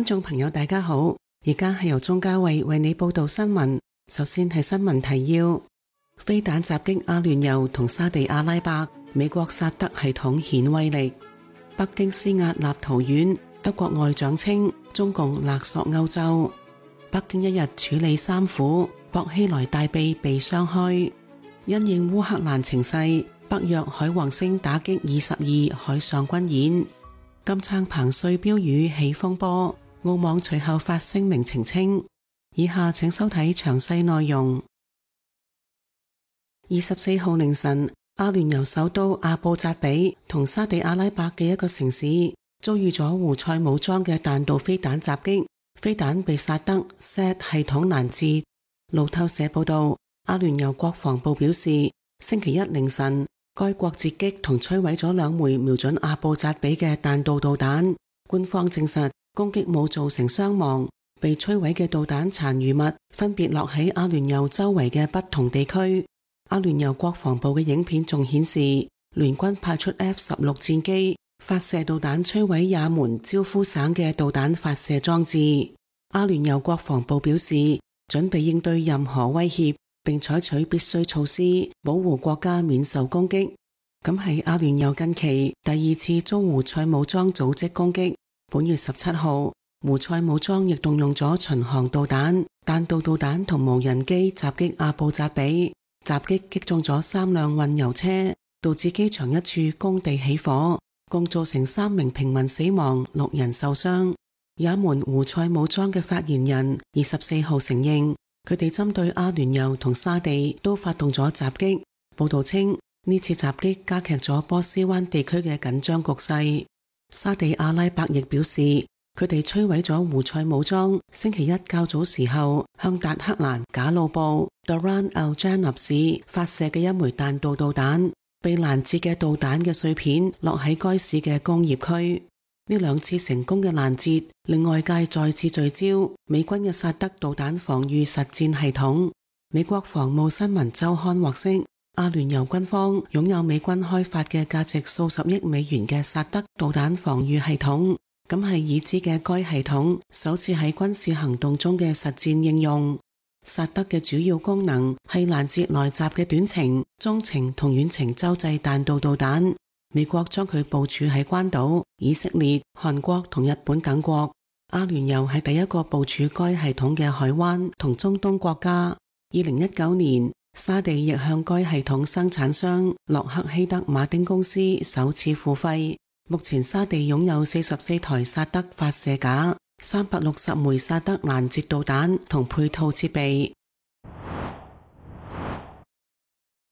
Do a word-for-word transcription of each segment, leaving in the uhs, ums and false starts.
觀眾朋友大家好，而家係由鍾嘉慧為你報道新聞。首先係新聞提要：飛彈襲擊阿聯酋同沙地阿拉伯，美國薩德系統顯威力。北京施壓立陶宛，德國外長稱中共勒索歐洲。北京一日處理三虎，薄熙來大臂被傷開。因應烏克蘭情勢，北約海王星打擊二十二海上軍演。金撐彭帥標語起風波，澳網隨後發聲明澄清。以下請收睇詳細內容。二十四號凌晨，阿聯酋首都阿布扎比同沙地阿拉伯嘅一個城市遭遇咗胡塞武裝嘅彈道飛彈襲擊，飛彈被薩德 S A D 系統攔截。路透社報道，阿聯酋國防部表示，星期一凌晨，該國截擊同摧毀咗兩枚瞄準阿布扎比嘅彈道導彈。官方證實攻擊冇造成傷亡，被摧毀嘅導彈殘餘物分別落喺阿聯酋周圍嘅不同地區。阿聯酋國防部嘅影片仲顯示，聯軍派出 F 十六戰機發射導彈摧毀也門焦夫省嘅導彈發射裝置。阿聯酋國防部表示，準備應對任何威脅，並採取必須措施保護國家免受攻擊。咁係阿聯酋近期第二次遭胡塞武裝組織攻擊。本月十七號，胡塞武裝亦動用咗巡航導彈、彈道導彈同無人機襲擊阿布扎比，襲擊擊中咗三輛運油車，導致機場一處工地起火，共造成三名平民死亡，六人受傷。也門胡塞武裝嘅發言人二十四號承認，佢哋針對阿聯酋同沙地都發動咗襲擊。報道稱，呢次襲擊加劇咗波斯灣地區嘅緊張局勢。沙地阿拉伯亦表示，佢哋摧毀咗胡塞武裝星期一較早時候向達克蘭賈魯布 Doran al Janab 市發射嘅一枚彈道導彈，被攔截嘅導彈嘅碎片落喺該市嘅工業區。呢兩次成功嘅攔截令外界再次聚焦美軍嘅薩德導彈防禦實戰系統。美國防務新聞週刊獲悉，阿聯酋軍方擁有美軍開發嘅價值數十億美元嘅薩德導彈防禦系統，咁係已知嘅該系統首次喺軍事行動中嘅實戰應用。薩德嘅主要功能係攔截來襲嘅短程、中程同遠程洲際彈道導彈。美國將佢部署喺關島、以色列、韓國同日本等國。阿聯酋係第一個部署該系統嘅海灣同中東國家。二零一九年，沙地亦向該系統生產商洛克希德馬丁公司首次付費。目前沙地擁有四十四台薩德發射架、三百六十枚薩德攔截導彈同配套設備。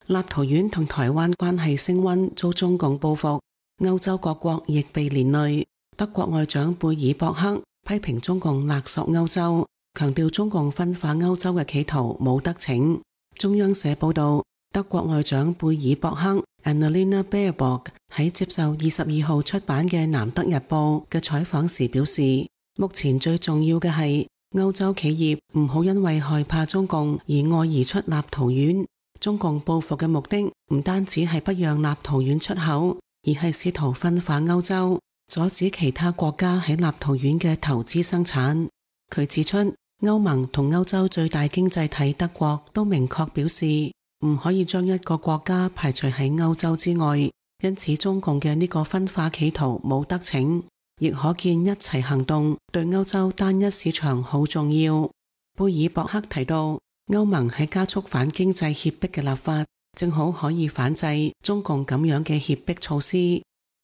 立陶宛同台灣關係升溫，遭中共報復，歐洲各國亦被連累。德國外長貝爾博克批評中共勒索歐洲，強調中共分化歐洲嘅企圖冇得逞。中央社報道，德國外長貝爾博克 Annalena Baerbock 喺接受二十二號出版嘅《南德日報》嘅採訪時表示，目前最重要嘅係歐洲企業唔好因為害怕中共而愛而出立陶宛。中共報復嘅目的唔單止係不讓立陶宛出口，而係試圖分化歐洲，阻止其他國家喺立陶宛嘅投資生產。佢指出，歐盟同歐洲最大經濟體德國都明確表示唔可以將一個國家排除喺歐洲之外，因此中共嘅呢個分化企圖冇得逞，亦可見一齊行動對歐洲單一市場好重要。貝爾博克提到，歐盟喺加速反經濟脅迫嘅立法，正好可以反制中共咁樣嘅脅迫措施。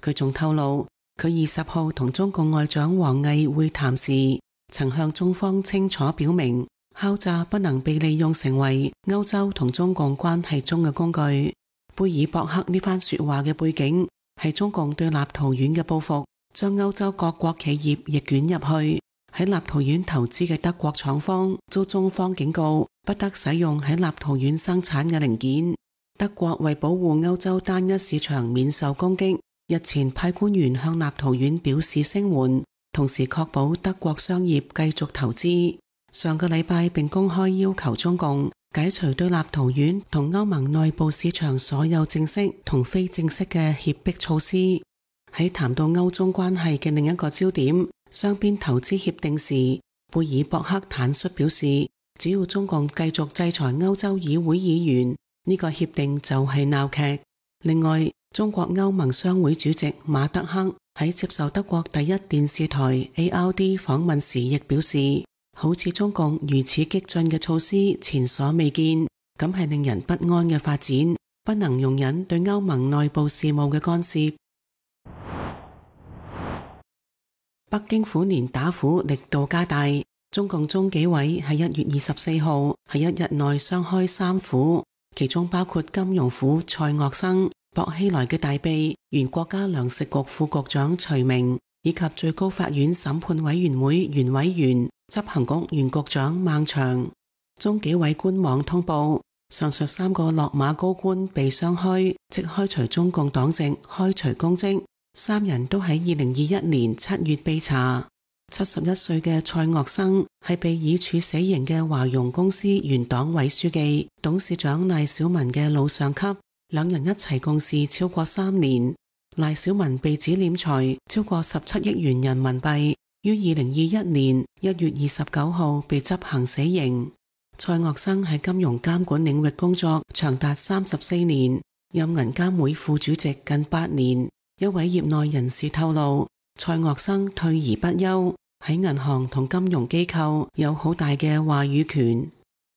佢仲透露，佢二十號同中共外長王毅會談時，曾向中方清楚表明，敲詐不能被利用成為歐洲同中共關係中嘅工具。貝爾博克呢番說話嘅背景係中共對立陶宛嘅報復，將歐洲各國企業亦捲入去。喺立陶宛投資嘅德國廠方遭中方警告，不得使用喺立陶宛生產嘅零件。德國為保護歐洲單一市場免受攻擊，日前派官員向立陶宛表示聲援，同時確保德國商業繼續投資。上個禮拜並公開要求中共解除對立陶宛同歐盟內部市場所有正式同非正式嘅脅迫措施。喺談到歐中關係嘅另一個焦點，雙邊投資協定時，貝爾博克坦率表示，只要中共繼續制裁歐洲議會議員，呢個協定就係鬧劇。另外，中國歐盟商會主席馬德克喺接受德國第一電視台 A R D 訪問時亦表示，好似中共如此激進嘅措施前所未見，咁係令人不安嘅發展，不能容忍對歐盟內部事務嘅干涉。北京虎年打虎力度加大，中共中紀委喺一月二十四號喺一日內雙開三虎，其中包括金融虎蔡岳生、薄熙來嘅大秘原國家糧食局副局長徐明，以及最高法院審判委員會原委員、執行局原局長孟祥。中紀委官網通報，上述三個落馬高官被雙開，即開除中共黨籍、開除公職。三人都喺二零二一年七月被查。七十一歲嘅蔡岳生係被以處死刑嘅華融公司原黨委書記、董事長賴小民嘅老上級，兩人一齊共事超過三年。賴小民被指斂財超過十七億元人民幣，於二零二一年一月二十九號被執行死刑。蔡岳生喺金融監管領域工作長達三十四年，任銀監會副主席近八年。一位業內人士透露，蔡岳生退而不休，喺銀行同金融機構有好大嘅話語權。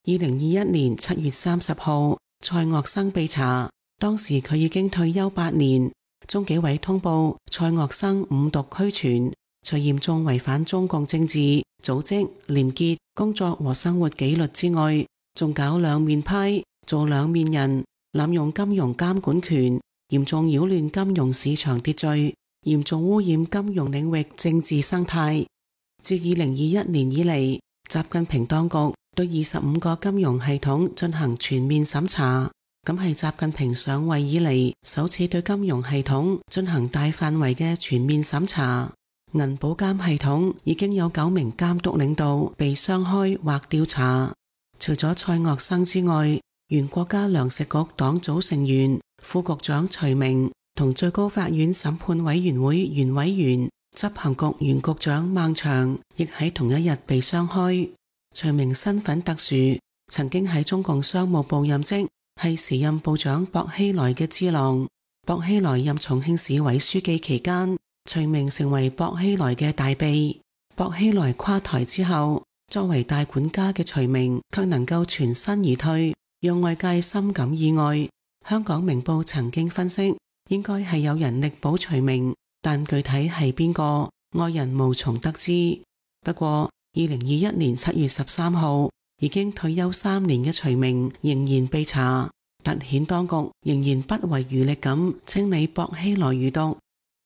二零二一年七月三十號，蔡岳生被查，當時佢已經退休八年。中紀委通報蔡岳生五毒俱全，除嚴重違反中共政治、組織、廉潔、工作和生活紀律之外，仲搞兩面派，做兩面人，濫用金融監管權，嚴重擾亂金融市場秩序，嚴重污染金融領域政治生態。自二零二一年以嚟，習近平當局對二十五個金融系統進行全面審查，咁係習近平上位以嚟首次對金融系統進行大範圍嘅全面審查。銀保監系統已經有九名監督領導被雙開或調查。除咗蔡岳生之外，原國家糧食局黨組成員、副局長徐明同最高法院審判委員會原委員、執行局原局長孟祥亦喺同一日被雙開。徐明身份特殊，曾經喺中共商務部任職，係時任部長薄熙來嘅智囊。薄熙來任重慶市委書記期間，徐明成為薄熙來嘅大秘。薄熙來垮台之後，作為大管家嘅徐明卻能夠全身而退，讓外界深感意外。香港明報曾經分析，應該係有人力保徐明，但具體係邊個，外人無從得知。不過，二零二一年七月十三號，已經退休三年嘅徐明仍然被查，凸顯當局仍然不遺餘力咁清理薄熙來餘毒。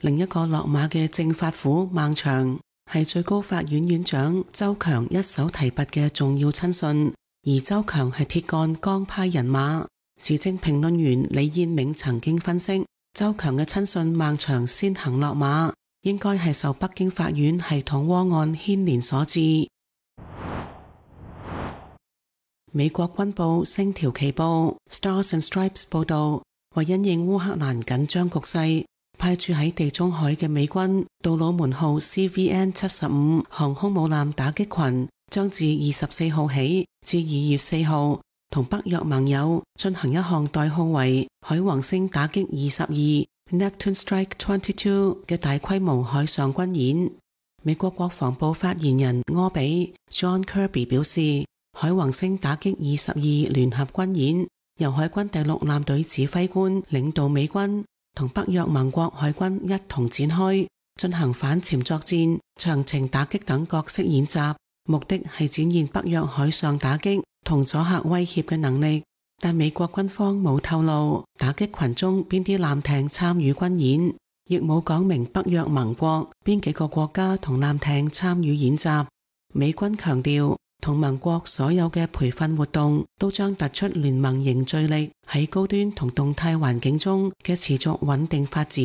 另一個落馬嘅政法虎孟祥係最高法院院長周強一手提拔嘅重要親信，而周強係鐵桿江派人馬。時政評論員李燕銘曾經分析，周強嘅親信孟祥先行落馬，應該係受北京法院系統窩案牽連所致。美國軍報星條旗報 Stars and Stripes 報道，為因應烏克蘭緊張局勢，派駐喺地中海嘅美軍杜魯門號 C V N 七十五航空母艦打擊群將自二十四號起至二月四號同北約盟友進行一項代號為海王星打擊二十二 Neptune Strike 二十二嘅大規模海上軍演。美國國防部發言人柯比 John Kirby 表示，海王星打擊二十二聯合軍演由海軍第六艦隊指揮官領導美軍同北約盟國海軍一同展開，進行反潛作戰、長程打擊等各式演習，目的係展現北約海上打擊同阻嚇威脅嘅能力。但美國軍方冇透露打擊群中邊啲艦艇參與軍演，亦冇講明北約盟國邊幾個國家同艦艇參與演習。美軍強調，同盟國所有嘅培訓活動都將突出聯盟凝聚力喺高端同動態環境中嘅持續穩定發展。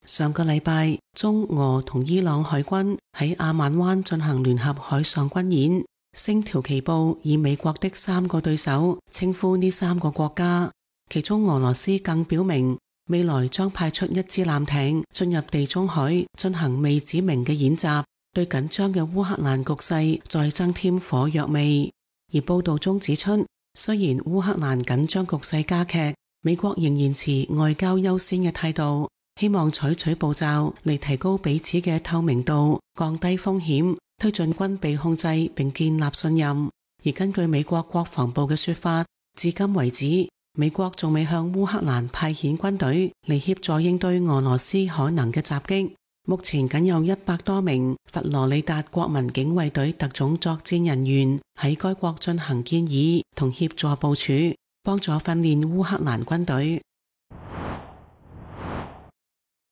上個禮拜，中俄同伊朗海軍喺阿曼灣進行聯合海上軍演。星條旗報以美國的三個對手稱呼呢三個國家，其中俄羅斯更表明未來將派出一支艦艇進入地中海進行未指明嘅演習，對緊張嘅烏克蘭局勢再增添火藥味。而報道中指出，雖然烏克蘭緊張局勢加劇，美國仍然持外交優先嘅態度，希望採取步驟嚟提高彼此嘅透明度，降低風險，推進軍備控制並建立信任。而根據美國國防部嘅說法，至今為止，美國仲未向烏克蘭派遣軍隊嚟協助應對俄羅斯可能嘅襲擊。目前僅有一百多名佛羅里達國民警衛隊特種作戰人員喺該國進行建議同協助部署，幫助訓練烏克蘭軍隊。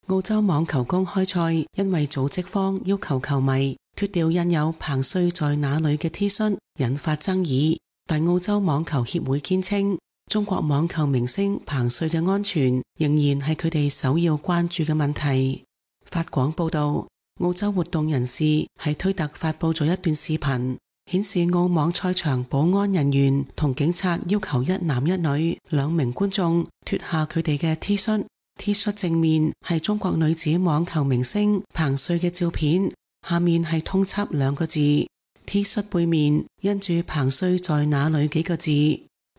澳洲網球公開賽因為組織方要求球迷脫掉印有彭帥在哪裏嘅 T 恤，引發爭議。但澳洲網球協會堅稱，中國網球明星彭帥嘅安全仍然係佢哋首要關注嘅問題。法廣報道，澳洲活動人士喺推特發佈咗一段視頻，顯示澳網賽場保安人員同警察要求一男一女兩名觀眾脫下佢哋嘅 T 恤。T 恤正面係中國女子網球明星彭帥嘅照片，下面係通緝兩個字。T 恤背面印住彭帥在哪裏幾個字，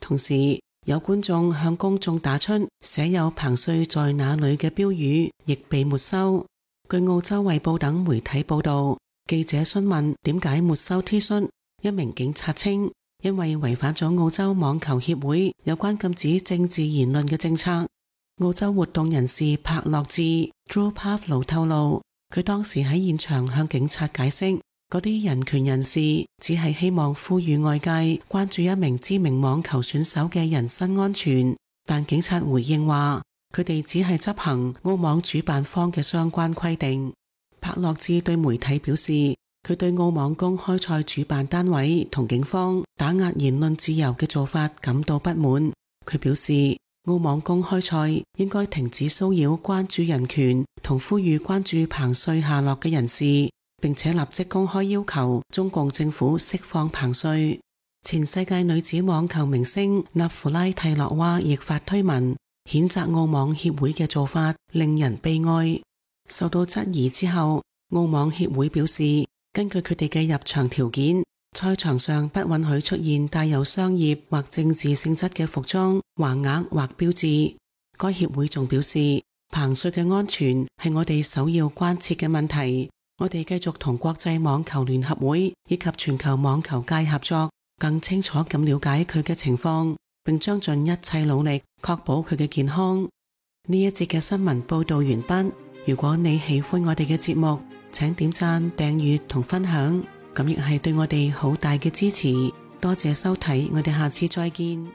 同時有觀眾向公眾打出寫有彭帥在哪裏嘅標語，亦被沒收。據澳洲衛報等媒體報道，記者詢問點解沒收 T 恤，一名警察稱因為違反咗澳洲網球協會有關禁止政治言論嘅政策。澳洲活動人士帕洛治 Drew Pavlo 透露，佢當時喺現場向警察解釋，嗰啲人權人士只係希望呼籲外界關注一名知名網球選手嘅人身安全，但警察回應話，佢哋只係執行澳網主辦方嘅相關規定。帕洛治對媒體表示，佢對澳網公開賽主辦單位同警方打壓言論自由嘅做法感到不滿。佢表示，澳網公開賽應該停止騷擾關注人權同呼籲關注彭帥下落嘅人士，並且立即公開要求中共政府釋放彭帥。前世界女子網球明星納芙拉蒂洛娃亦發推文，譴責澳網協會嘅做法令人悲哀。受到質疑之後，澳網協會表示，根據佢哋嘅入場條件，賽場上不允許出現帶有商業或政治性質嘅服裝、橫額或標誌。該協會仲表示，彭帥嘅安全係我哋首要關切嘅問題。我哋繼續同國際網球聯合會以及全球網球界合作，更清楚咁了解佢嘅情況，並將盡一切努力確保佢嘅健康。呢一節嘅新聞報道完畢。如果你喜歡我哋嘅節目，請點讚、訂閱同分享，咁亦係對我哋好大嘅支持。多謝收睇，我哋下次再見。